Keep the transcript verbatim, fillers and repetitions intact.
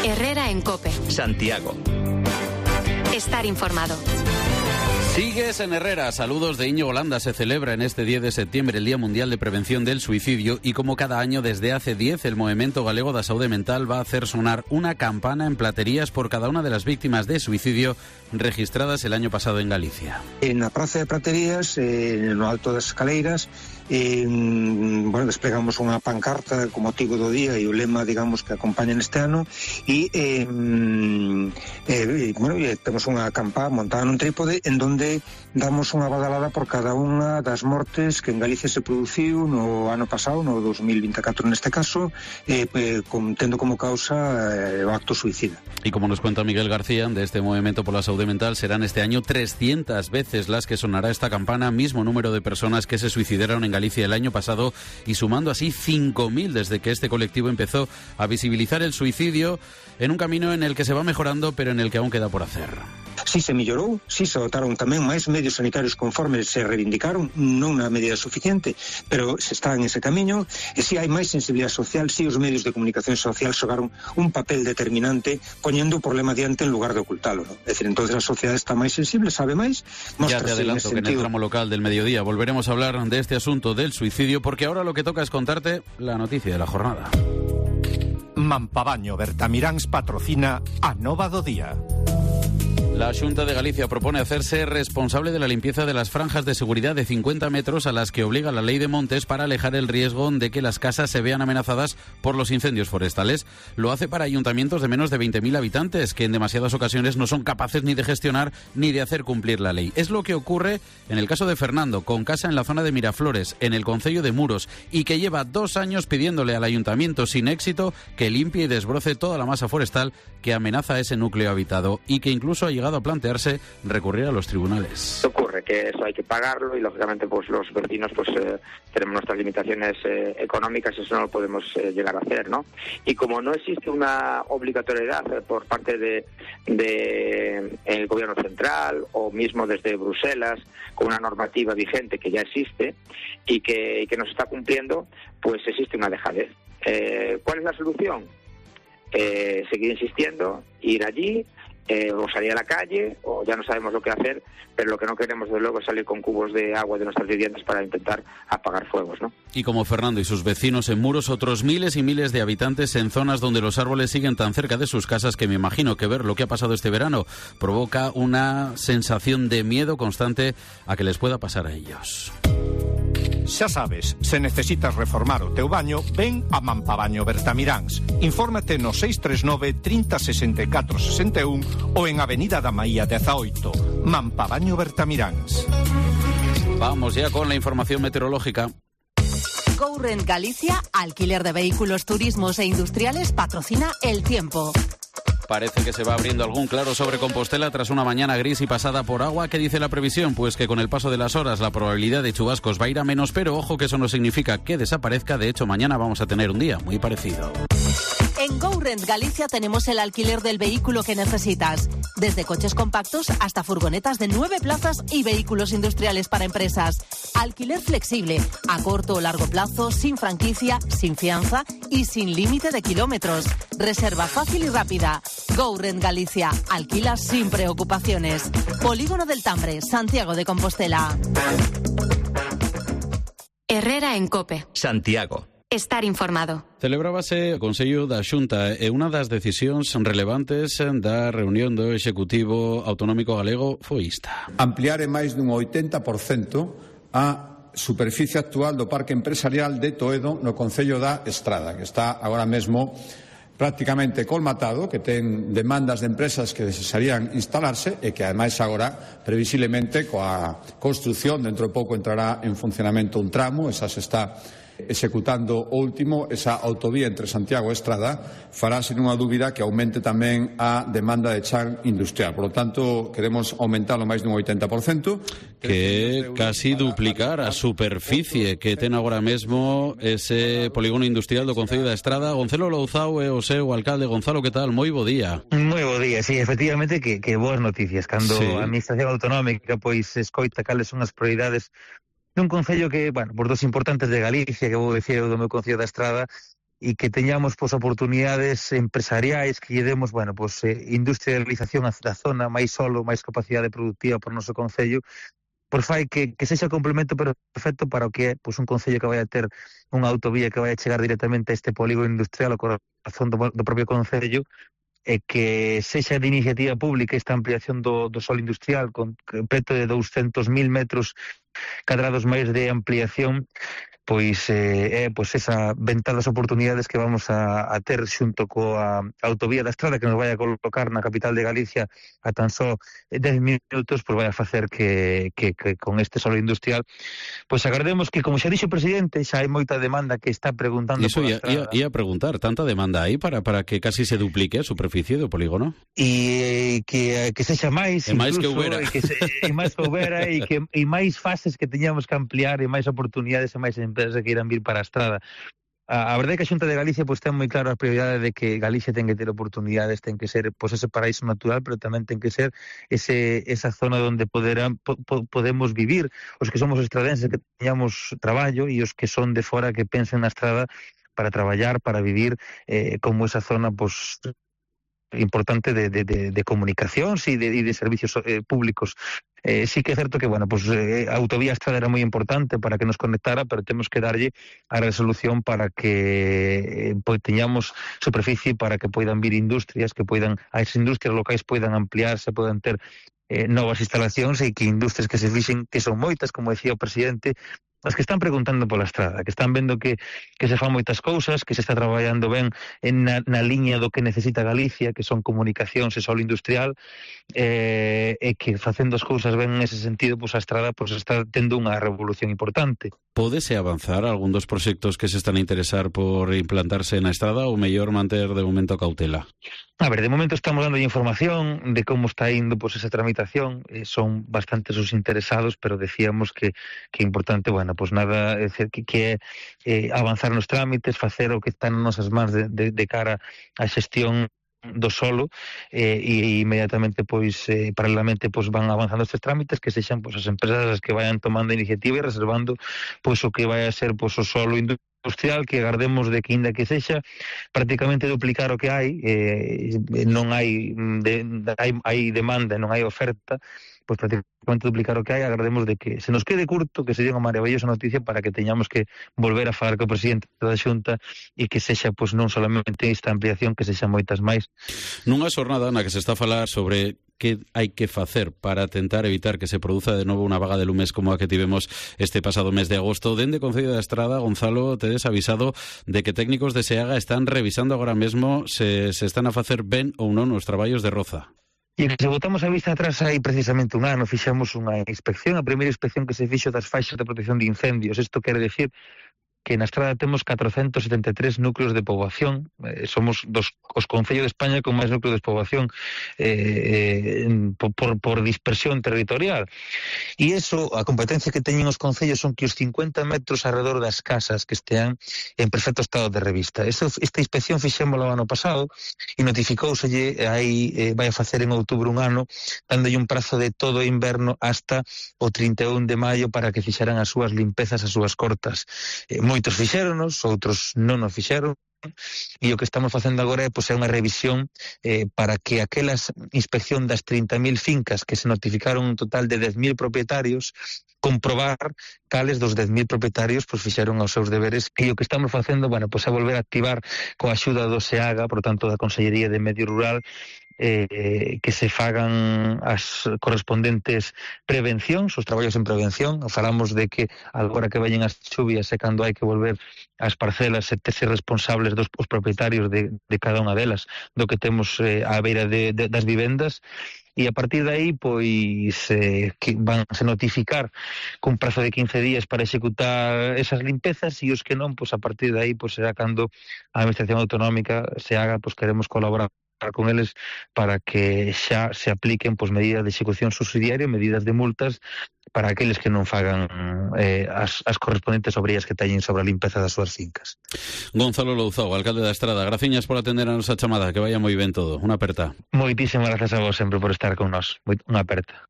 Herrera en COPE. Santiago. Estar informado. Sigues en Herrera. Saludos de Íñigo Landa. Se celebra en este diez de septiembre el Día Mundial de Prevención del Suicidio y como cada año desde hace diez el Movimiento Galego da Saúde Mental va a hacer sonar una campana en platerías por cada una de las víctimas de suicidio registradas el año pasado en Galicia. En la Praza de Praterías, eh, en lo alto das escaleiras, eh, bueno, desplegamos unha pancarta con motivo do día e o lema, digamos, que acompaña neste ano e, eh, eh, bueno, e temos unha campa montada nun trípode en donde damos unha badalada por cada unha das mortes que en Galicia se produciu no ano pasado, no dos mil vinte e catro neste caso, eh, eh, con, tendo como causa eh, o acto suicida. Y como nos cuenta Miguel García, de este Movimiento por la Saúde Mental, serán este año trescientas veces las que sonará esta campana, mismo número de personas que se suicidaron en Galicia el año pasado y sumando así cinco mil desde que este colectivo empezó a visibilizar el suicidio en un camino en el que se va mejorando, pero en el que aún queda por hacer. Si se mellorou, si se dotaron tamén máis medios sanitarios conforme se reivindicaron, non na medida suficiente, pero se está en ese camiño, e si hai máis sensibilidade social, si os medios de comunicación social xogaron un papel determinante poñendo o problema diante en lugar de ocultalo, ¿no? É dicir, entonces a sociedade está máis sensible, sabe máis. Ya te adelanto que en el tramo local del mediodía volveremos a hablar de este asunto del suicidio, porque ahora lo que toca es contarte la noticia de la jornada. Mampabaño Bertamiráns patrocina a Nova do Día. La Xunta de Galicia propone hacerse responsable de la limpieza de las franjas de seguridad de cincuenta metros a las que obliga la ley de montes para alejar el riesgo de que las casas se vean amenazadas por los incendios forestales. Lo hace para ayuntamientos de menos de veinte mil habitantes que en demasiadas ocasiones no son capaces ni de gestionar ni de hacer cumplir la ley. Es lo que ocurre en el caso de Fernando, con casa en la zona de Miraflores, en el concello de Muros, y que lleva dos años pidiéndole al ayuntamiento sin éxito que limpie y desbroce toda la masa forestal que amenaza ese núcleo habitado y que incluso ha llegado a plantearse recurrir a los tribunales. Ocurre que eso hay que pagarlo y lógicamente pues los vecinos pues eh, tenemos nuestras limitaciones eh, económicas, eso no lo podemos eh, llegar a hacer, ¿no? Y como no existe una obligatoriedad eh, por parte de, de el gobierno central o mismo desde Bruselas con una normativa vigente que ya existe y que, y que no se está cumpliendo, pues existe una dejadez. Eh, ¿Cuál es la solución? Eh, seguir insistiendo, ir allí, eh, o salir a la calle, o ya no sabemos lo que hacer, pero lo que no queremos desde luego es salir con cubos de agua de nuestras viviendas para intentar apagar fuegos, ¿no? Y como Fernando y sus vecinos en Muros, otros miles y miles de habitantes en zonas donde los árboles siguen tan cerca de sus casas que me imagino que ver lo que ha pasado este verano provoca una sensación de miedo constante a que les pueda pasar a ellos. Xa sabes, se necesitas reformar o teu baño, ven a Mampabaño Bertamiráns. Infórmate no seis tres nove, trinta, sesenta e catro, sesenta e un ou en Avenida da Maía dezaoito. Mampabaño Bertamiráns. Vamos ya con la información meteorológica. GoRent Galicia, alquiler de vehículos, turismos e industriales, patrocina El Tiempo. Parece que se va abriendo algún claro sobre Compostela tras una mañana gris y pasada por agua. ¿Qué dice la previsión? Pues que con el paso de las horas la probabilidad de chubascos va a ir a menos, pero ojo que eso no significa que desaparezca. De hecho, mañana vamos a tener un día muy parecido. En GoRent Galicia tenemos el alquiler del vehículo que necesitas. Desde coches compactos hasta furgonetas de nueve plazas y vehículos industriales para empresas. Alquiler flexible, a corto o largo plazo, sin franquicia, sin fianza y sin límite de kilómetros. Reserva fácil y rápida. GoRent Galicia. Alquila sin preocupaciones. Polígono del Tambre, Santiago de Compostela. Herrera en COPE. Santiago. Estar informado. Celebrábase o Consello da Xunta e unha das decisións relevantes da reunión do Executivo Autonómico Galego foi esta. Ampliar en máis dun oitenta por cento a superficie actual do parque empresarial de Toedo no Concello da Estrada, que está agora mesmo prácticamente colmatado, que ten demandas de empresas que desearían instalarse e que ademais agora previsiblemente coa construción dentro de pouco entrará en funcionamento un tramo, esa se está executando o último, esa autovía entre Santiago e Estrada fará sin unha dúbida que aumente tamén a demanda de chan industrial. Por lo tanto, queremos aumentarlo máis dun oitenta por cento. Que casi duplicar a superficie que ten agora mesmo ese polígono industrial do Concello da Estrada. Gonzalo Louzao é o seu alcalde. Gonzalo, que tal? Moi bo día. Moi bo día, sí, efectivamente que, que boas noticias. Cando sí. a Administración Autonómica pois escoita cales son as prioridades nun concello que, bueno, por dos importantes de Galicia, que vou dicir do meu concello da Estrada, e que teñamos pois oportunidades empresariais que lle demos, bueno, pois eh, industrialización da zona, máis solo, máis capacidade productiva para o noso concello, pois fai que, que sexa complemento perfecto para o que é pois un concello que vai a ter unha autovía que vai a chegar directamente a este polígono industrial, ao corazón do, do propio concello, e que sexa de iniciativa pública esta ampliación do, do solo industrial con preto de douscentos mil metros cadrados máis de ampliación, pois é eh, pois esa ventana das oportunidades que vamos a, a ter xunto coa autovía da Estrada que nos vai a colocar na capital de Galicia a tan só dez minutos, pois vai a facer que, que, que con este solo industrial pois agardemos que, como xa dixo o presidente, xa hai moita demanda que está preguntando Iso ia, ia, ia a preguntar, tanta demanda aí para, para que casi se duplique a superficie do polígono? E que, que sexa máis, e máis que houbera e, que se, e máis que houbera e, que, e máis fases que teñamos que ampliar e máis oportunidades e máis empresas que irán vir para a Estrada. A, a verdade é que a Xunta de Galicia pois ten moi claro a prioridade de que Galicia ten que ter oportunidades, ten que ser pois ese paraíso natural, pero tamén ten que ser ese esa zona onde poderán po, po, podemos vivir os que somos estradenses, que teñamos traballo, e os que son de fora que pensen na Estrada para traballar, para vivir eh, como esa zona pois importante de, de, de, de comunicacións e de, de servicios eh, públicos. Eh, sí que é certo que, bueno, pues, eh, a autovía Estrada era moi importante para que nos conectara, pero temos que darlle a resolución para que eh, pues, teñamos superficie para que poidan vir industrias, que poidan, as industrias locais poidan ampliarse, poidan ter eh, novas instalacións e que industrias que se fixen, que son moitas, como decía o presidente, as que están preguntando pola Estrada, que están vendo que, que se fan moitas cousas, que se está traballando ben en na, na liña do que necesita Galicia, que son comunicacións e solo industrial, eh, e que facendo as cousas ben nese sentido, pois a Estrada pois, está tendo unha revolución importante. Pódese avanzar algún dos proxectos que se están a interesar por implantarse na Estrada ou mellor manter de momento cautela? A ver, de momento estamos dando información de como está indo pois, esa tramitación, eh, son bastantes os interesados, pero decíamos que que é importante, bueno, pois nada, é decir, que, que é eh, avanzar nos trámites, facer o que está nas nosas mans de, de, de cara á xestión do solo eh, e inmediatamente pois eh, paralelamente pois van avanzando estes trámites, que sexan pois as empresas as que vayan tomando iniciativa e reservando pois o que vai a ser pois o solo industrial, que agardemos de que inda que sexa prácticamente duplicar o que hai, eh, non hai, de, hai hai demanda, non hai oferta, pois prácticamente duplicar o que hai, agardemos de que se nos quede curto, que sería unha maravillosa noticia para que teñamos que volver a falar co presidente da Xunta e que sexa pois non solamente esta ampliación, que sexa moitas máis. Nunha xornada na que se está a falar sobre que hai que facer para tentar evitar que se produza de novo unha vaga de lumes como a que tivemos este pasado mes de agosto, dende Concello da Estrada, Gonzalo, tedes avisado de que técnicos de SEAGA están revisando agora mesmo se se están a facer ben ou non os traballos de roza. E que se botamos a vista atrás hai precisamente un ano, fixemos unha inspección, a primeira inspección que se fixo das faixas de protección de incendios. Isto quere decir que na Estrada temos catrocentos setenta e tres núcleos de poboación, eh, somos dos os concellos de España con máis núcleos de poboación eh, eh, por, por dispersión territorial. E iso, a competencia que teñen os concellos son que os cincuenta metros alrededor das casas que estean en perfecto estado de revista. Eso, esta inspección fixémoslo ano pasado e notificouselle, aí eh, vai a facer en outubro un ano, dándolle un prazo de todo o inverno hasta o trinta e un de maio para que fixeran as súas limpezas, as súas cortas. Eh, moitos fixéronos, outros non nos fixeron, e o que estamos facendo agora é, pois, é unha revisión eh, para que aquelas inspección das trinta mil fincas que se notificaron un total de dez mil propietarios, comprobar cales dos dez mil propietarios pois, fixeron os seus deberes, e o que estamos facendo, bueno, pois, é volver a activar coa axuda do SEAGA, por tanto da Consellería de Medio Rural, eh, que se fagan as correspondentes prevencións, os traballos en prevención. Falamos de que agora que veñen as chuvias e cando hai que volver ás parcelas e ter ser responsables dos os propietarios de, de cada unha delas do que temos eh, á beira de, de, das vivendas, e a partir de aí pois eh, que van a notificar con prazo de quince días para executar esas limpezas, e os que non, pois a partir de aí pois será cando a Administración Autonómica se haga, pois queremos colaborar con eles para que xa se apliquen pois medidas de execución subsidiaria, medidas de multas para aqueles que non fagan eh, as, as correspondentes obrías que teñen sobre a limpeza das súas fincas. Gonzalo Louzao, alcalde da Estrada, graciñas por atender a nosa chamada, que vaya moi ben todo. Unha aperta. Moitísimas grazas a vos sempre por estar con nós. Unha aperta.